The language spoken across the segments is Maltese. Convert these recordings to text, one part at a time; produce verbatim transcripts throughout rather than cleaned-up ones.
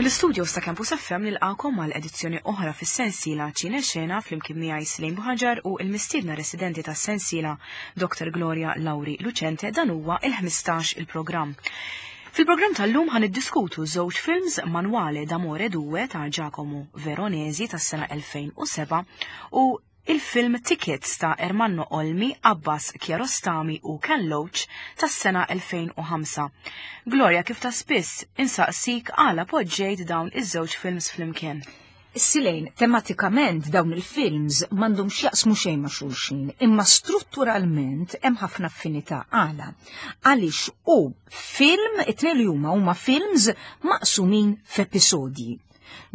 Mill-istudios ta' Campus F M nilqakom għal edizzjoni oħra fis-sensiela Ċine Xena flimkien miegħi Slejn Buħaġar u l-mistiedna residenti tas-sensiela Doctor Gloria Lauri Lucente. Dan huwa il-ħmistax il-programm. Fil-programm tal-lum ħa niddiskutu żewġ films, Manuale d'Amore due ta' Giacomo Veronesi tas-sena elfejn u sebgħa u il-film Tickets ta' Ermanno Olmi, Abbas Kiarostami u Ken Loach tas-sena elfejn u ħamsa. Gloria, kif ta' spiss, insaqsik għala poġġejt dawn iż-żewġ films flimkien. Silejn, tematikament dawn il-films m'għandhom x'jaqsmu xejn ma' xulxin, imma strutturalment hemm ħafna affinità. Għala? Għaliex u film, it-tnejn li huma huma films maqsumin f'episodji.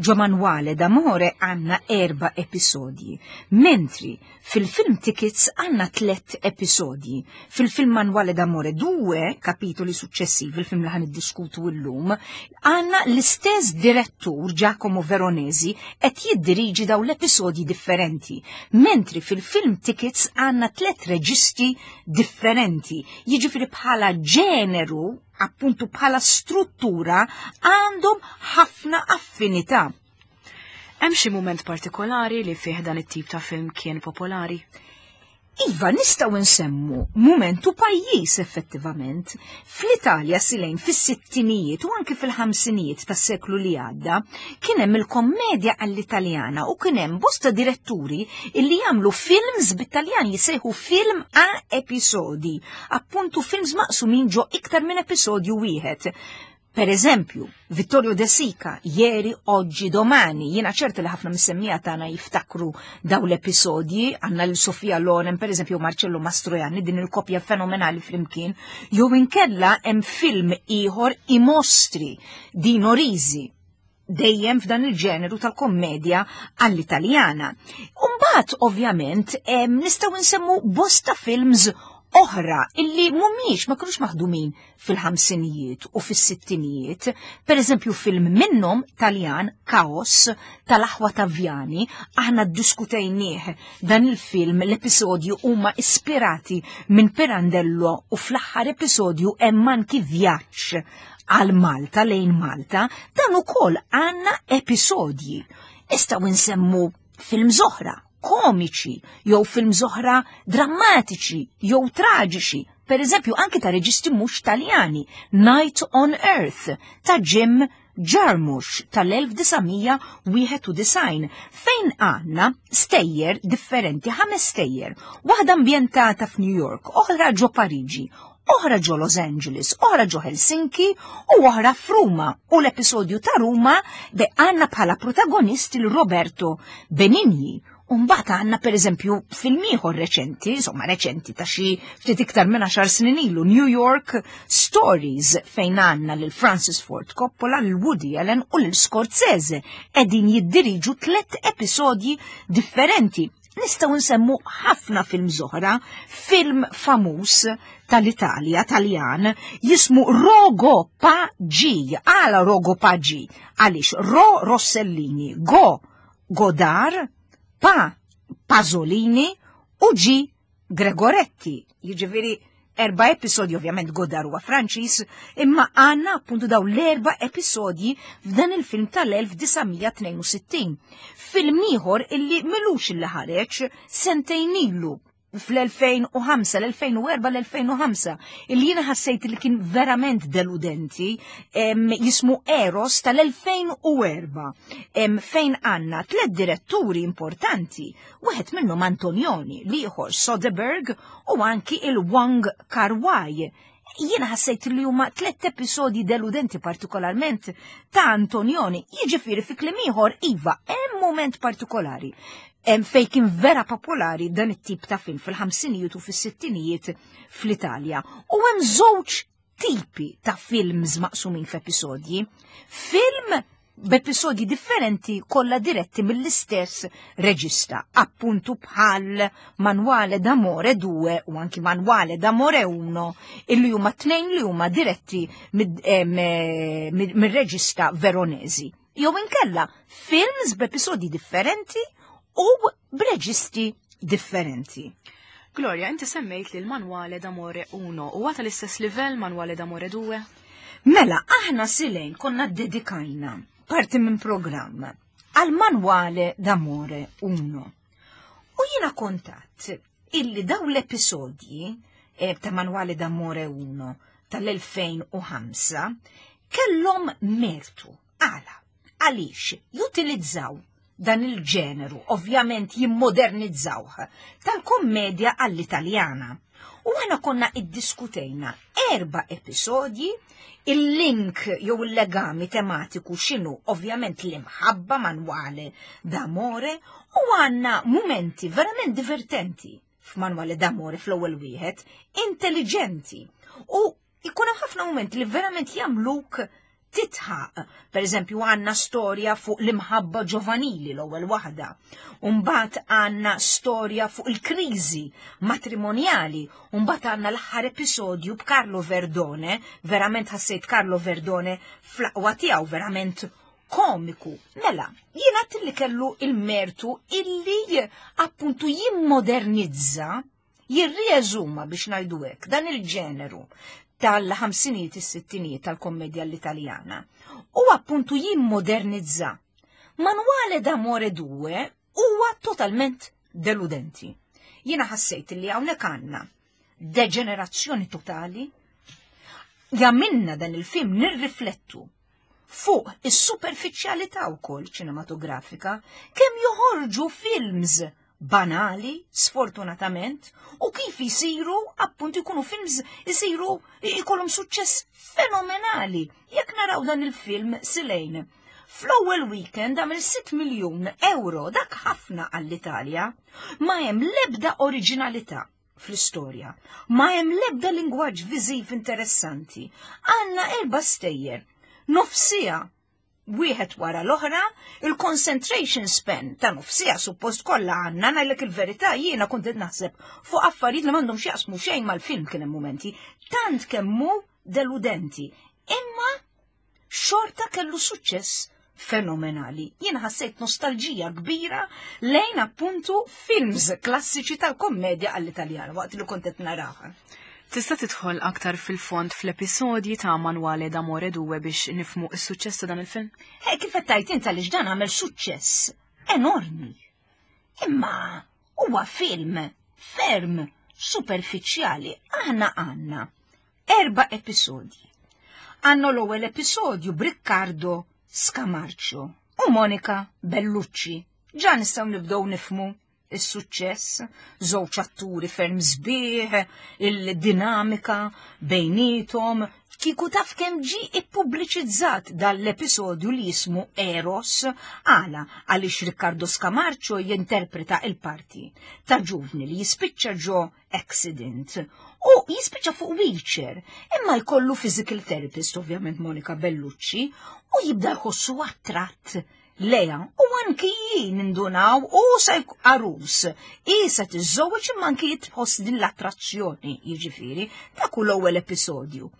Ġo Manuale d'Amore għandna erba episodji, mentri fil-film Tickets għandna tlet episodji. Fil-film Manuale d'Amore due, kapitoli successivi, il-film li ħa niddiskutu illum, għandna l-istess direttur Giacomo Veronesi qed jiddiriġi daw l-episodji differenti, mentri fil-film Tickets għandna tlet reġisti differenti. Jiġifieri bħala ġeneru, appuntu bħala struttura, għandhom ħafna affinità. Hemm xi mument partikolari li fih dan it-tip ta' film kien popolari? Iva, nistgħu nsemmu momentu pajjiż effettivament. Fl-Italja, Silejn, fis-sittinijiet u anki fil-ħamsinijiet tas-seklu li għadda, kien hemm il-kommedja għall-Italjana u kien hemm bosta diretturi illi jagħmlu films bit-Taljan jisejħu film a episodi, appuntu films maqsumin ġo iktar minn episodju wieħed. Per eżempju, Vittorio De Sica, Ieri, Oggi, Domani, jiena ċerta li ħafna mis-semmiegħa tagħna jiftakru daw l-episodji, għandna lil Sofia Loren, per eżempju, Marcello Mastroianni, din il-kopja fenomenali flimkien, jew inkella hemm film ieħor, I Mostri, Dino Risi, dejjem f'dan il-ġeneru tal-kommedja għall-Italjana. Umbagħad, ovvjament, nistgħu nsemmu bosta films oħra illi mhumiex ma kinux maħdumin fil-ħamsinijiet u fis-sittinijiet. Per eżempju, film minnhom Taljan, Kaos, tal-Aħwa Taviani, aħna ddiskutejnieh dan il-film, l-episodju huma ispirati minn Pirandello u fl-aħħar episodju hemm anki vjaġġ għal Malta, lejn Malta, dan ukoll għandna episodji. Nistgħu nsemmu films oħra komiċi, jew films oħra drammatiċi, jew traġiċi. Per eżempju, anki ta' reġisti mhux Taljani, Night on Earth ta' Jim Jarmusch tal-elf disa' mija wieħed u disgħin, fejn għandna stejjer differenti, ħames stejjer, waħda ambjentata f'New York, oħra ġo Pariġi, oħra ġo Los Angeles, oħra ġo Helsinki u oħra f'Ruma. U l-episodju ta' Ruma de għandna bħala protagonist il-Roberto Benigni. Umbagħad għandna per eżempju film ieħor reċenti, insomma reċenti ta' xi ftit iktar minn għaxar snin ilu, New York Stories, fejn għandna lil Francis Ford Coppola, lil Woody Allen u lil Scorsese qegħdin jiddiriġu tlet episodji differenti. Nistgħu nsemmu ħafna film oħra, film famuż tal-Italja, Taljan, jismu Rogo Pa G. Għala Rogo Pa G? Għaliex Ro Rossellini, Go Godard, Pa Pasolini u G Gregoretti. Jiġifieri erba' episodji, ovvjament Godard huwa Franċiż, imma għandna appuntu daw l-erba' episodji f'dan il-film tal-elf disa' mija tnejn u sittin. Film ieħor illi m'ilux illi ħareġ, sentejn ilu, fl-elfejn u ħamsa, l-elfejn u erbgħa, l-elfejn u ħamsa, illi jiena ħassejt li kien verament deludenti, em, jismu Eros tal-elfejn u erbgħa, em, fejn għandna tlet diretturi importanti, wieħed minnhom Antonioni, l-ieħor Soderbergh u anki il-Wong Kar-wai. Jiena ħassejt li huma tlet episodji deludenti, partikolarment ta' Antonioni. Jiġifieri fi kliem ieħor, iva, hemm moment partikolari hemm fej kien vera popolari dan it-tip ta' film fil-ħamsinijiet u fis-sittinijiet fl-Italja. U hemm żewġ tipi ta' films maqsumin f'episodji. Film b'episodji differenti kollha diretti mill-istess reġista, appuntu bħal Manuale d'Amore due u anki Manuale d'Amore uno, illi huma tnejn li huma diretti mid-reġista Veronesi. Jew inkella films b'episodji differenti u b'reġisti differenti. Gloria, inti semmejt li l-Manuale d'Amore uno u għata l-istess livell Manuale d'Amore due? Mela, aħna, Silejn, konna dedikajna parti minn programm għal Manuale d'Amore uno. U jiena kontat illi daw l-episodji eh, ta' Manuale d'Amore uno tal-elfejn u ħamsa kellhom mertu. Għala, għaliex jutilizzaw dan il-ġeneru, ovvjament jimmodernizzawh, tal-kommedja għall-Italjana. U għana konna iddiskutejna erba episodji, il-link jew il-legami tematiku x'inhu, ovvjament l-imħabba, Manuale d'Amore, u għanna momenti verament divertenti f'Manuale d'Amore fl-ewwel wieħed, intelligenti. U jkun hemm ħafna momenti li verament jagħmluk titħaq. Per eżempju, għanna storja fuq l-imħabba ġovanili, l-ewwel waħda. Umbagħad għanna storja fuq il-kriżi matrimonjali. Umbagħad għanna l-aħħar episodju b'Carlo Verdone, verament ħassejt Carlo Verdone fl-aqwa tiegħu, verament komiku. Mela, jiena li kellu il-mertu illi appuntu jimmodernizza, jirrieżuma, biex ngħidu hekk, dan il-ġeneru tal-ħamsinijiet, is-sittinijiet tal-kommedja l-Italjana. U appuntu jimmodernizza. Manuale d'Amore due huwa totalment deludenti. Jiena ħassejt li hawnhekk għandna deġenerazzjoni totali, jagħmilna dan il-film nirriflettu fuq is-superfiċjalità wkoll ċinematografika, kemm joħorġu films banali, sfortunatament, u kif jisiru, appuntu, jkunu films jisiru jkollhom suċċess fenomenali. Jekk naraw dan il-film Silejn, fl-ewwel weekend għamel sitt miljun euro, dak ħafna għall-Italja. Ma hemm l-ebda oriġinalità fl-istorja, ma hemm l-ebda lingwaġġ viżiv interessanti. Għandna erba' stejjer, nofs siegħa wieħed wara l-oħra, il-concentration span ta' nofs siegħa suppost kollha għandna, ngħidlek il-verità, jiena kont qed naħseb fuq affarijiet li m'għandhom x'jaqsmu xejn mal-film, kien hemm momenti tant kemm hu deludenti. Imma xorta kellu suċċess fenomenali. Jiena ħassejt nostalġija kbira lejn appuntu films klassiċi tal-kommedja għall-Italjan waqt li kont qed naraha. Tista' tidħol aktar fil-fond fl-episodji ta' Manuale d'Amore due biex nifmu s-suċċess ta' dan il-film? Eh, kif qed tgħid int, għaliex dan għamel suċċess enormi. Imma huwa film ferm superfiċjali. Aħna għandna erba' episodji. Għandna l-ewwel episodju b'Riccardo Scamarcio u Monica Bellucci. Ġa nistgħu nibdew nifmu is-suċċess, żewġ atturi ferm sbieħ, il-dinamika bejnietom. Kieku taf kemm ġi ippubbliċizzat dal-episodju li jismu Eros, għala, għaliex Riccardo Scamarcio jinterpreta il-parti ta' ġuvni li jispiċċa ġo accident u jispiċċa fuq wheelchair, imma jkollu physical therapist, ovvjament Monica Bellucci, u jibda jħossu attratt lejha u anki jien nindunaw u sa għarus. Isa tiżżewweġ, imma anki jitħoss din l-attrazzjoni, jiġifieri, dak hu l-ewwel episodju.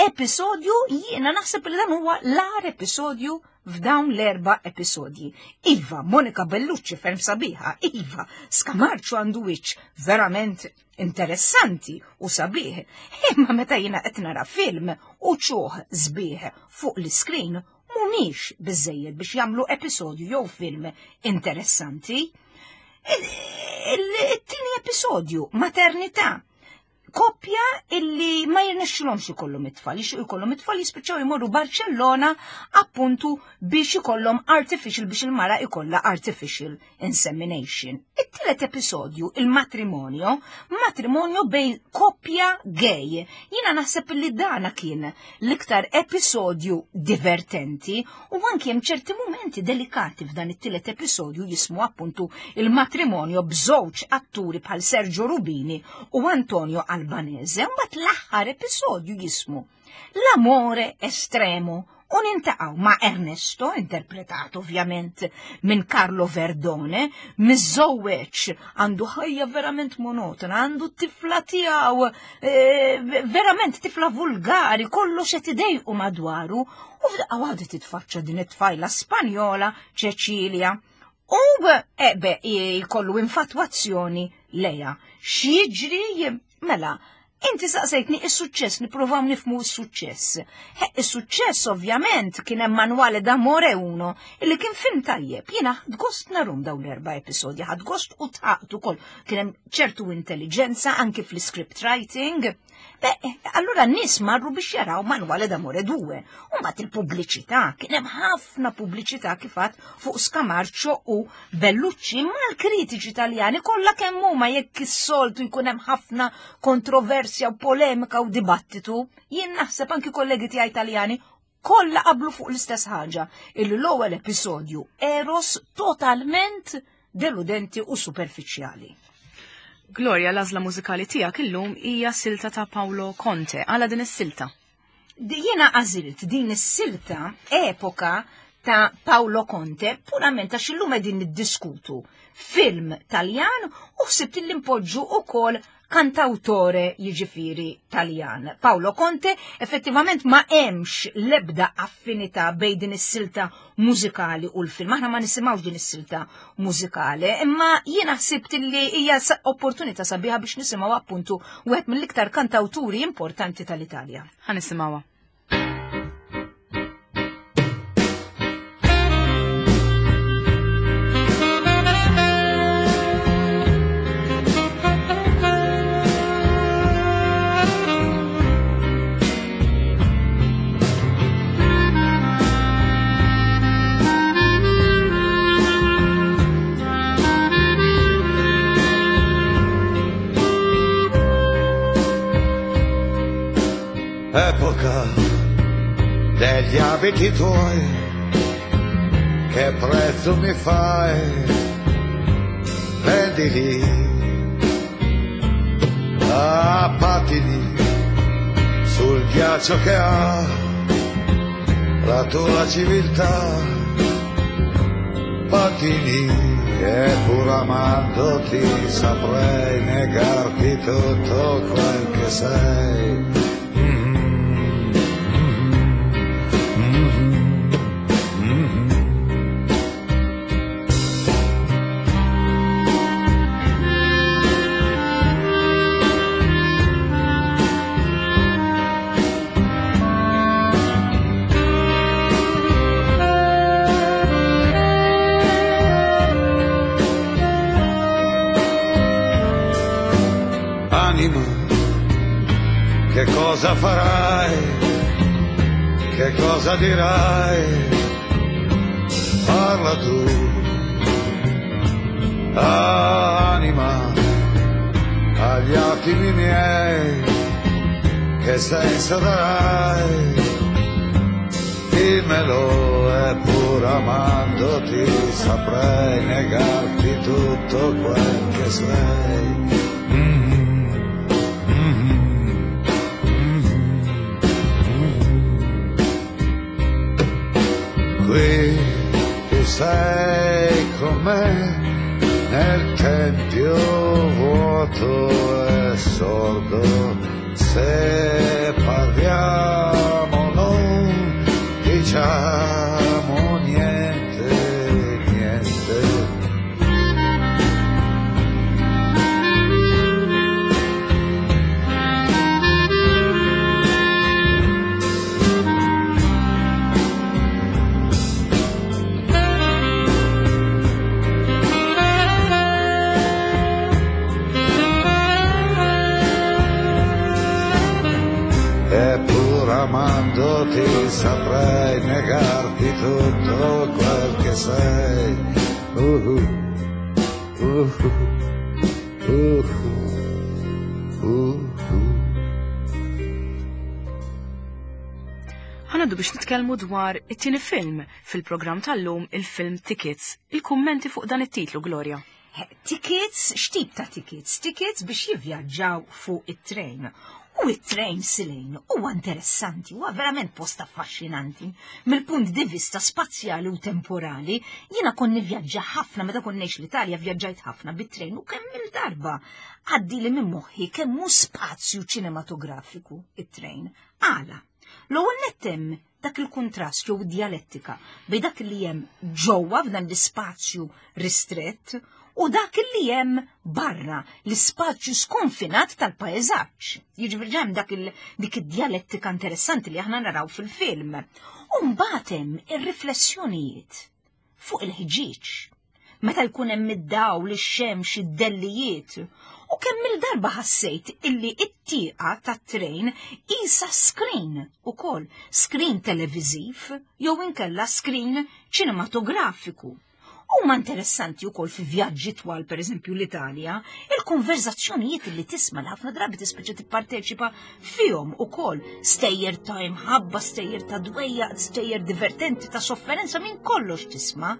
Episodju, jiena naħseb li dan huwa l-agħar episodju f'dawn l-erba' episodji. Iva, Monica Bellucci ferm sabiħa, iva, Scamarcio għandu wiċċ verament interessanti u sabiħ. Imma meta jiena qed nara film u wċuħ sbieħ fuq l-iskrin mhumiex biżejjed biex jagħmlu episodju jew film interessanti. Il-tieni episodju, maternità. Koppja illi ma jirnexxilhomx ikollhom it-tfal, jixtiequ ikollhom it-tfal, jispiċċaw jmorru Barcellona appuntu biex ikollhom artificial, biex il-mara ikollha artificial insemination. It-tielet episodju, il-matrimonio, matrimonio bejn koppja gay. Jiena naħseb li dana kien l-iktar episodju divertenti u anki hemm ċerti momenti delikati f'dan it-tielet episodju jismu appuntu il-matrimonio, b'żewġ atturi bħal Sergio Rubini u Antonio Albanese. Mbagħad l-aħħar episodju jismu L'amore estremo u niltaqgħu ma' Ernesto, interpretat ovvjament minn Carlo Verdone, miżżewweġ, għandu ħajja verament monotona, għandu tifla tiegħu, eh, verament tifla vulgari, kollox qed idejqu madwaru, u f'daqqa waħda titfaċċa din it-tfajla Spanjola, Cecilia. U ebe jkollu infatwazzjoni lejha. X'jiġri? Mela, Inti saqsejtni is-suċċess, nippruvaw nifhmu s-suċċess. Is-suċċess ovvjament kien hemm Manuale d'Amore uno, illi kien film tajjeb. Jiena ħadt gost narahom dawn l-erba' episodji, ħadt gost u dħakt ukoll. Kien hemm ċertu intelligenza anki fl-script writing. Beh, allura n-nies marru biex jaraw Manuale d'Amore due. U mbagħad il-pubbliċità, kien hemm ħafna pubbliċità kif għedt fuq Scamarcio u Bellucci, ma l-kritiċi Italjani kollha kemm huma, jekk is-soltu jkun hemm ħafna kontroversja u polemika u dibattitu, jien naħseb anki kollegi tiegħi Italjani kollha qablu fuq l-istess ħaġa, illi l-ewwel episodju Eros totalment deludenti u superfiċjali. Gloria, l-għażla mużikali tiegħek illum hija silta ta' Paolo Conte. Għala din is-silta? Jiena għażilt din is-silta Epoca ta' Paolo Conte purament għax illum qegħdin niddiskutu film Taljan u ħsibt li npoġġu ukoll kantautore, jiġifieri Taljan. Paolo Conte, effettivament ma hemmx l-ebda affinità bejn din is-silta mużikali u l-film. Aħna ma nisimgħux din is-silta mużikali, imma jiena ħsibt li hija opportunità sabiħa biex nisimgħu appuntu wieħed mill-iktar kantauturi importanti tal-Italja. Ħa nisimgħuha. Epoca degli abiti tuoi, che prezzo mi fai? Prendili, a pattini sul ghiaccio che ha la tua civiltà. Pattini, e pur amandoti saprei negarti tutto quel che sei. Che cosa farai? Che cosa dirai? Parla tu, anima, agli attimi miei, che senso darai? Dimmelo, e pur amandoti saprei negarti tutto quel che sei. Qui tu sei con me nel tempio vuoto e sordo, se parliamo non diciamo niente, niente. Amandoti saprei negarti tutto quel che sei. Uh, uh, uh, uh, uh. Ħa ngħaddu biex nitkellmu dwar it-tieni film fil-programm tal-lum, il-film Tickets. Il-kummenti fuq dan it-titlu, Gloria. Tickets, x'tip ta' tickets? Tickets biex jivvjaġġaw fuq it-train. U it-train, Silejn, huwa interessanti, huwa verament post affaxxinanti. Mill-punt di vista spazjali u temporali, jiena kont nivvjaġġa ħafna meta kont ngħix l-Italja, vjaġġajt ħafna bit-train u kemm il-darba għaddi li minn moħħi kemm hu spazju ċinematografiku it-train. Għala? L-ewwel nett hemm dak il-kuntrast jew dialettika bejn dak li hemm ġewwa f'dan l-ispazju ristrett u dak li hemm barra l-ispazju skonfinat tal-paesaġġ. Jiġifieri hemm dak dik id-dialettika interessanti li aħna naraw fil-film. U mbagħad hemm ir-riflessjonijiet fuq il-ħġieġ. Meta jkun hemm id-dawl, ix-xemx, id-dellijiet. U kemm il-darba ħassejt illi it-tieqa tat-trejn isa screen ukoll, screen televiżiv jew inkella screen ċinematografiku. Huma interessanti wkoll fi vjaġġi twal, pereżempju l-Italja, il-konverzazzjonijiet li tisma' li ħafna drabi tispiċċa tipparteċipa fihom ukoll, stejjer ta' imħabba, stejjer ta' dwejjaq, stejjer divertenti ta' sofferenza, minn kollox tisma'.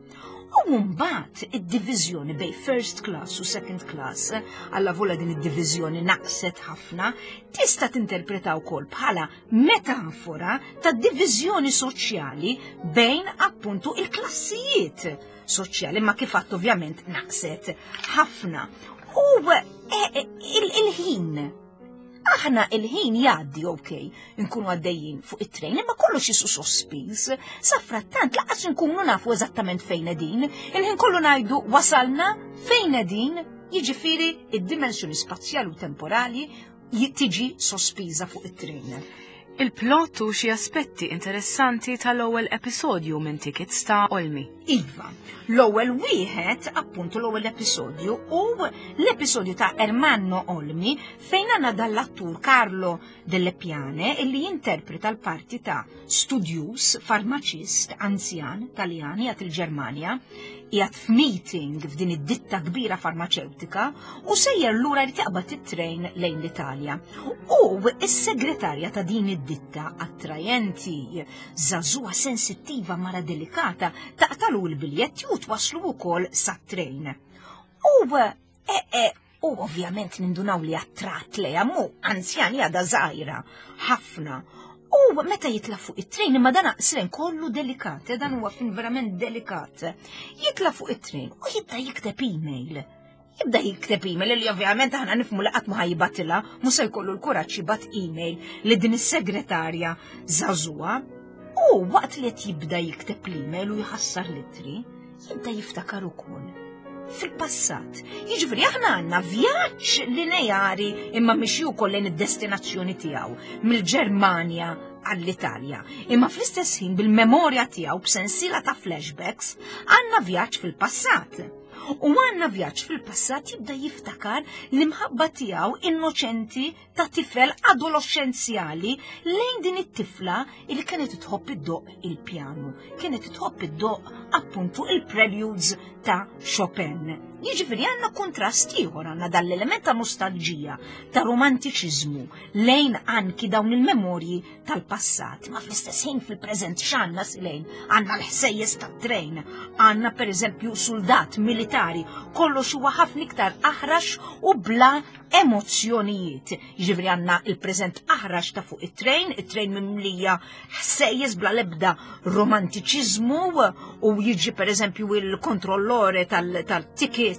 U mbagħad id-diviżjoni bejn first class u second class, allavolja din id-diviżjoni naqset ħafna, tista' tinterpreta wkoll bħala metafora ta' diviżjoni soċjali bejn appuntu il-klassijiet soċjali, ma kif għadt ovvjament naqset ħafna. U il-ħin, aħna il-ħin jgħaddi, ok, nkunu għaddejjin fuq it-trejn, imma kollox jisu sospiż, sa frattant lanqas nkunu nafu eżattament fejn qegħdin, il-ħin kollu ngħidu wasalna fejn qegħdin, jiġifieri id-dimensjoni spazjali u temporali tiġi sospiża fuq it-trejn. Il-plot u xi aspetti interessanti tal-ewwel episodju minn Tickets ta' Olmi. Iva, l-ewwel wieħed, appuntu l-ewwel episodju, u l-episodju ta' Ermanno Olmi fejn għandna dall-attur Carlo Delle Piane illi jinterpreta l-parti ta' studjus, farmaċist, anzjan, Taljan, qiegħed il-Ġermanja, qiegħed f'meeting f'din id-ditta kbira farmaċewtika u sejjer lura li taqbad it-trejn lejn l-Italja. U is-segretarja ta' din id-ditta attrajenti, żagħżugħa sensittiva, mara delikata, taqtalu l-biljetti u twaslu wkoll sat-trejn. U e, e, u ovvjament nindunaw li attratt lejha, mu anzjani għada żgħira ħafna. U meta jitla fuq it-trejn, imma dan aqsren kollu delikat, eh, dan huwa fin verament delikat. Jitla fuq it-trejn u jibda jikteb email. Jibda jikteb email li ovvjament aħna nifhmu li qatt ma ħa jibgħatilha, mhux se jkollu l-kuraġġ jibgħat email li din is-segretarja żagħżugħa. U waqt li qed jibda jikteb l-email u jħassar l-ittri, jibda jiftakar ukoll fil-passat. Jiġifieri aħna għandna vjaġġ lineari imma mixi wkoll lejn id-destinazzjoni tiegħu mill-Ġermanja għall-Italja. Imma fl-istess ħin bil-memorja tiegħu b'sensiela ta' flashbacks għandna vjaġġ fil-passat. U għandna vjaġġ fil-passat, jibda jiftakar l-imħabba tiegħu innoċenti ta' tifel adolescenzjali lejn din it-tifla li kienet tħobb iddoqq il-pjanu, kienet tħobb iddoqq appuntu il-preludes ta' Chopin. Jiġifieri għandna kontrast ieħor, għandna dal-element ta' nostalġija, ta' romantiċiżmu lejn anki dawn il-memorji tal-passat. Ma fl-istess ħin fil-preżent x'għandna, Silejn? Għandna l-ħsejjes tat-trejn, għandna pereżempju soldat militari, kollox huwa ħafna iktar aħrax u bla emozzjonijiet. Jiġifieri għandna il-preżent aħrax ta' fuq it-trejn, it-trejn mimlija ħsejjes bla lebda romantiċiżmu, u jiġi pereżempju il-kontrollore tal-tickets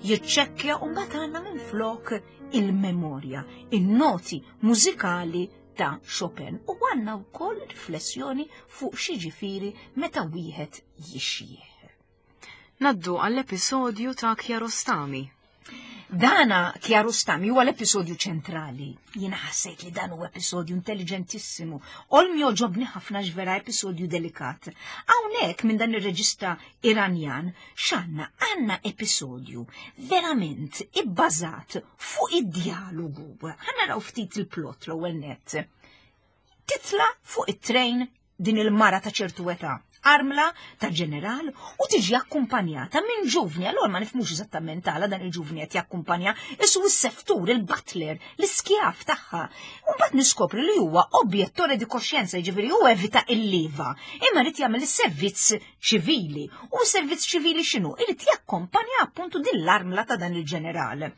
jiċċekkja, u mbagħad għandna minflok il-memorja, il-noti mużikali ta' Chopin, u għandna wkoll riflessjoni fuq x'jiġifieri meta wieħed jixjieħ. Ngħaddu għall-episodju ta' Kiarostami. Dana Kiarostami huwa l-episodju ċentrali. Jiena ħassejt li dan huwa episodju intelligentissimu. Olmi għoġobni ħafna, vera episodju delikat. Hawnhekk minn dan ir-reġista Iranjan x'għandna? Għandna episodju verament ibbażat fuq id-dialogu. Ħa naraw ftit il-plot l-ewwel nett. Titla fuq it-trejn din il-mara ta' ċertu età, armla ta' ġeneral, u tiġi akkumpanjata minn ġuvni. Allora ma nifhmux eżattament għala dan il-ġuvni qed jakkumpanja, isu s-seftur, il-butler, l-iskjaf tagħha. U mbagħad niskopri li huwa obiettore di coscienza, jiġifieri hu evita il-liva, imma rid jagħmel is-servizz ċivili. U s-servizz ċivili x'inhu? Irid jakkumpanja appuntu din l-armla ta' dan il-ġeneral.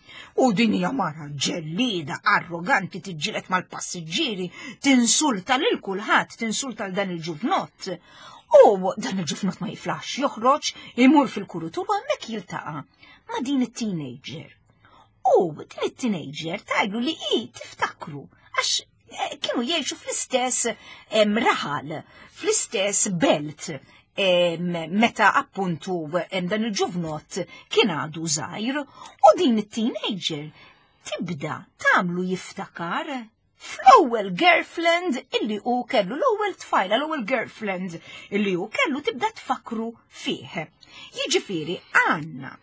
U din hija mara ġellida, arroganti, tiġġieled mal-passiġġieri, tinsulta lil kulħadd, tinsulta l dan il-ġuvnott. U dan il-ġufnot ma jiflax, joħroġ, imur fil-kurutur u hemmhekk jiltaqa' ma' din it-teenager. U din it-teenager tgħidlu li hi tiftakru għax Kienu jgħixu fl-istess raħal, fl-istess belt, meta appuntu dan il-ġuvnot kien għadu żgħir, u din it-teenager tibda tagħmlu jiftakar fl-ewwel girlfriend illi hu kellu, l-ewwel tfajla, l-ewwel girlfriend illi hu kellu, tibda tfakru fih. Jiġifieri għandna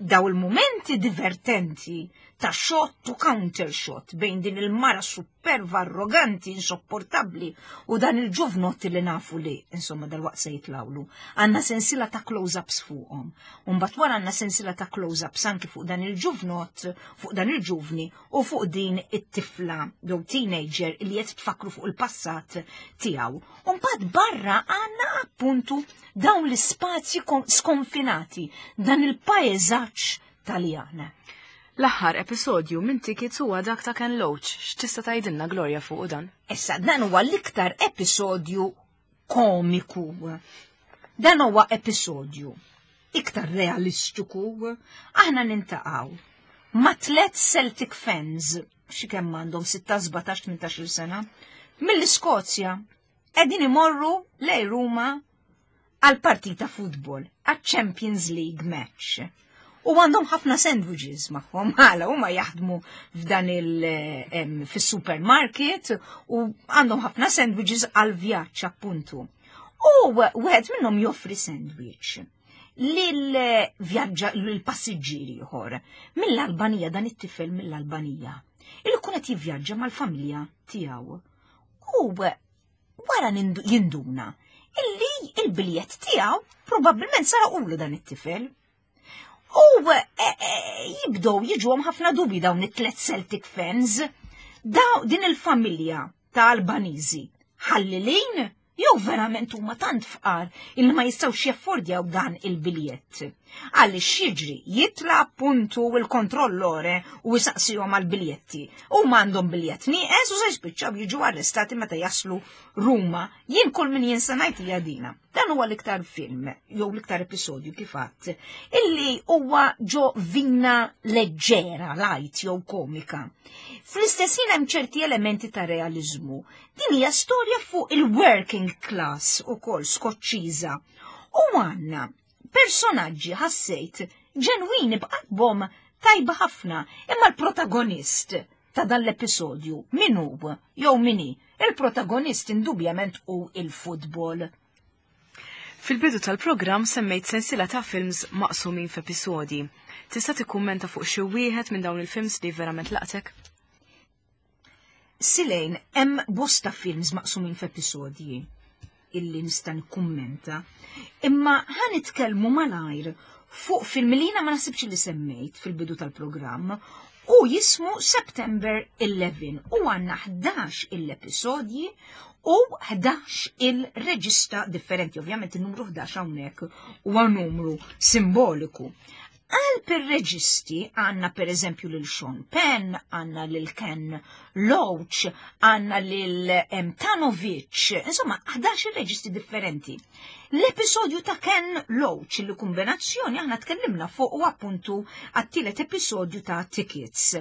daw il-momenti divertenti ta' shot to counter shot bejn din il-mara superva, arroganti, insopportabli u dan il-ġuvnot li nafu li, insomma, dal-waqt se jitlawlu. Għandna sensila ta' close-ups fuqhom. Mbagħad wara għandna sensila ta' close-ups anki fuq dan il-ġuvnot, fuq dan il-ġuvni u fuq din it-tifla jew teenager li qed tfakru fuq il-passat tiegħu. Mbagħad barra għandna appuntu dawn l-ispazji skonfinati, dan il-paesaġġ Taljan. L-aħħar episodju minn Tickets huwa dak ta' Ken Loach. X'tista' tgħidilna, Gloria, fuq dan? Issa, dan huwa l-iktar episodju komiku. Dan huwa episodju iktar realistiku. Aħna niltaqgħu ma' tlet Celtic fans, xi kemm għandhom, sittax, sbatax, tmintax-il sena, mill-Iskozja, qegħdin imorru lej Ruma għal partita futbol, għal Champions League match. U għandhom ħafna sandwiches magħhom, għala huma jaħdmu f'dan il fis-supermarket u għandhom ħafna sandwiches għal vjaġġ appuntu. U wieħed minnhom joffri sandwich lil vjaġġa l-passiġġieri ieħor mill-Albanija, dan it-tifel mill-Albanija. Il kun qed jivvjaġġa mal-familja tiegħu. U wara jinduna illi il-biljett tiegħu probabbilment saraqulu dan it-tifel. U e, e, jibdow jiġuhom ħafna dubi dawn it-tlet Celtic fans. Daw din il-familja ta' Albaniżi ħallilin jew verament huma tant fqar illi ma jistgħux jaffordjaw dan il-biljett? Għaliex jiġri jitla appuntu il-kontrollore u jisaqsihom għal-biljetti. U għandhom biljett nieqes u se jispiċċaw jiġu arrestati meta jaslu Ruma. Jien kull min jien ngħid hija dina. Dan huwa l-iktar film, jew l-iktar episodju kif għadt, illi huwa ġo vina leġġera, light jew komika. Fl-istess ħin hemm ċerti elementi ta' realizmu. Din hija storja fuq il-working class ukoll Skoċċiża. U għandna personaġġi, ħassejt, ġenwini, b'qalbhom tajba ħafna, imma l-protagonist ta' dan l-episodju min hu jew min hi? Il-protagonist indubjament hu il-futbol. Fil-bidu tal-programm semmejt sensila ta' films maqsumin f'episodji. Tista' tikkummenta fuq xi wieħed minn dawn il-films li verament laqtek? Silejn, hemm bosta films maqsumin f'episodji illi nista' nikkummenta, imma ħa nitkellmu malajr fuq film li jiena ma nasibx li semmejt fil-bidu tal-programm u jismu September eleven u għandna ħdax il-episodji u ħdax il-reġista differenti. Ovvjament il-numru ħdax hawnhekk huwa numru simboliku. Għal per reġisti għandna per eżempju lil Sean Penn, għandna lil Ken Loach, għandna lil Tanovic, insomma ħdax il-reġisti differenti. L-episodju ta' Ken Loach li kombinazzjoni aħna tkellimna fuq u appuntu għat-tielet episodju ta' Tickets.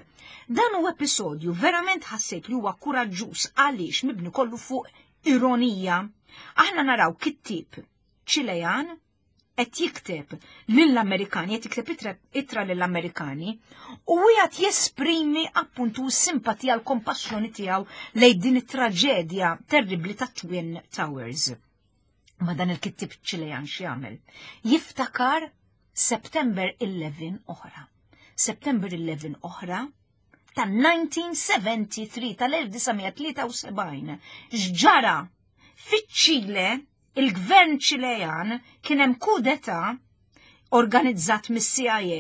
Dan u episodju verament ħassejt li huwa kuraġġuż għaliex mibni kollu fuq ironija. Aħna naraw kittib Ċilejan qed jikteb lill-Amerikani, qed jikteb ittra lill-Amerikani u qiegħed jesprimi appuntu s-simpatija, l-kompassjoni tiegħu lejn din it-traġedja terribli ta' Twin Towers. Ma dan il-kittib Ċilejan x'jagħmel? Jiftakar September eleven oħra. September eleven oħra ta' elf disa' mija tlieta u sebgħin, tal-elf disa' mija tlieta u sebgħin. X'ġara? Fiċ-Ċile, il-gvern Ċilejan, kien hemm kudeta organizzat mis-C I A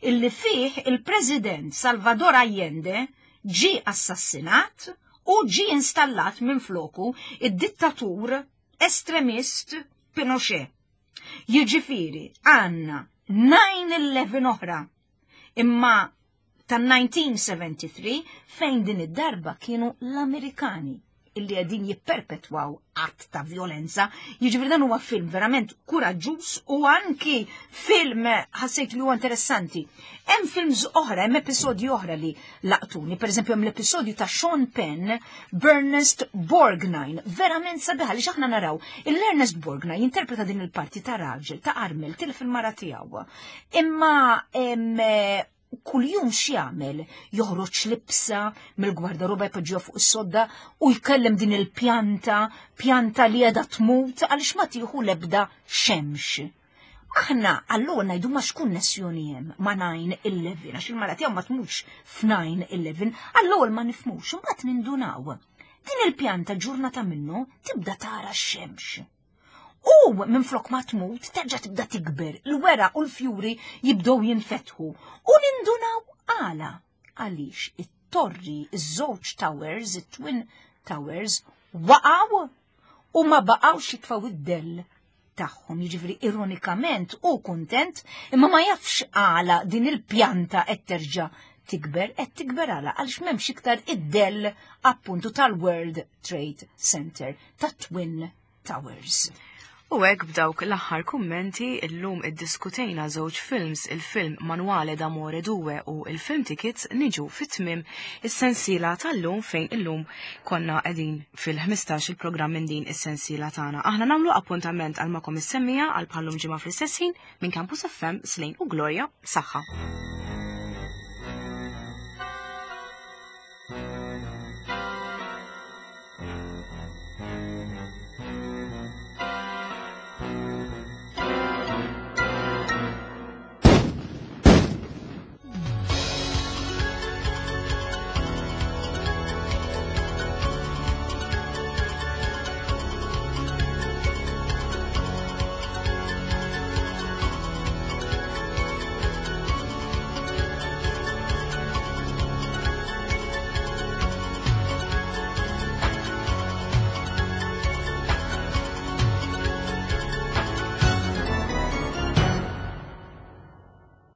illi fih il-President Salvador Allende ġi assassinat u ġi installat minn floku id-dittatur estremist Pinochet. Jiġifieri għandna nine eleven oħra, imma tan-elf disa' mija tlieta u sebgħin, fejn din id-darba kienu l-Amerikani illi qegħdin jipperpetwaw att ta' violenza. Jiġifieri dan huwa film verament kuraġġuż u anki film ħassejt li huwa interessanti. Hemm films oħra, hemm episodji oħra li laqtuni, pereżempju hemm l-episodju ta' Sean Penn, Bernest Borgnine, verament sabiħa li aħna naraw. Il-Ernest Borgnine jinterpreta din il-parti ta' raġel, ta' armel, tilef il-mara tiegħu. Imma em, kuljum x'jagħmel? Joħroġ libsa mill-gwardaroba, jpoġġiha fuq is-sodda u jkellem din il-pjanta, pjanta li qiegħda tmut għaliex ma tieħu l-ebda xemx. Aħna allura ngħidu ma x'konnessjoni hemm ma' nine eleven, għax il-mara tiegħu ma tmutx f'nine eleven, allura ma nifhmux, imbagħad nindunaw. Din il-pjanta ġurnata minnu tibda tara x-xemx. U minn flok ma tmut, terġa' tibda tikber, l-weraq u l-fjuri jibdew jinfetħu. U nindunaw għala. Għaliex it-torri, iż-żewġ towers, it-Twin Towers, waqgħu u ma baqgħux jitfgħu id-dell tagħhom. Jiġifieri ironikament u kuntent, imma ma jafx għala din il-pjanta qed terġa' tikber, qed tikber għala għaliex m'hemmx iktar id-dell appuntu tal-World Trade Center, ta' Twin Towers. U hekk b'dawk l-aħħar kummenti, illum iddiskutejna żewġ films, il-film Manuale d'Amore due u il-film Tickets, niġu fit-tmim is-sensiela tal-lum, fejn illum konna qegħdin fil-ħmistax il-programm minn din is-sensiela tagħna. Aħna nagħmlu appuntament għal magħkom is-semmiegħa għal bħallum ġimgħa fl-istess ħin minn Campus F M, Slane u Gloria, saħħa.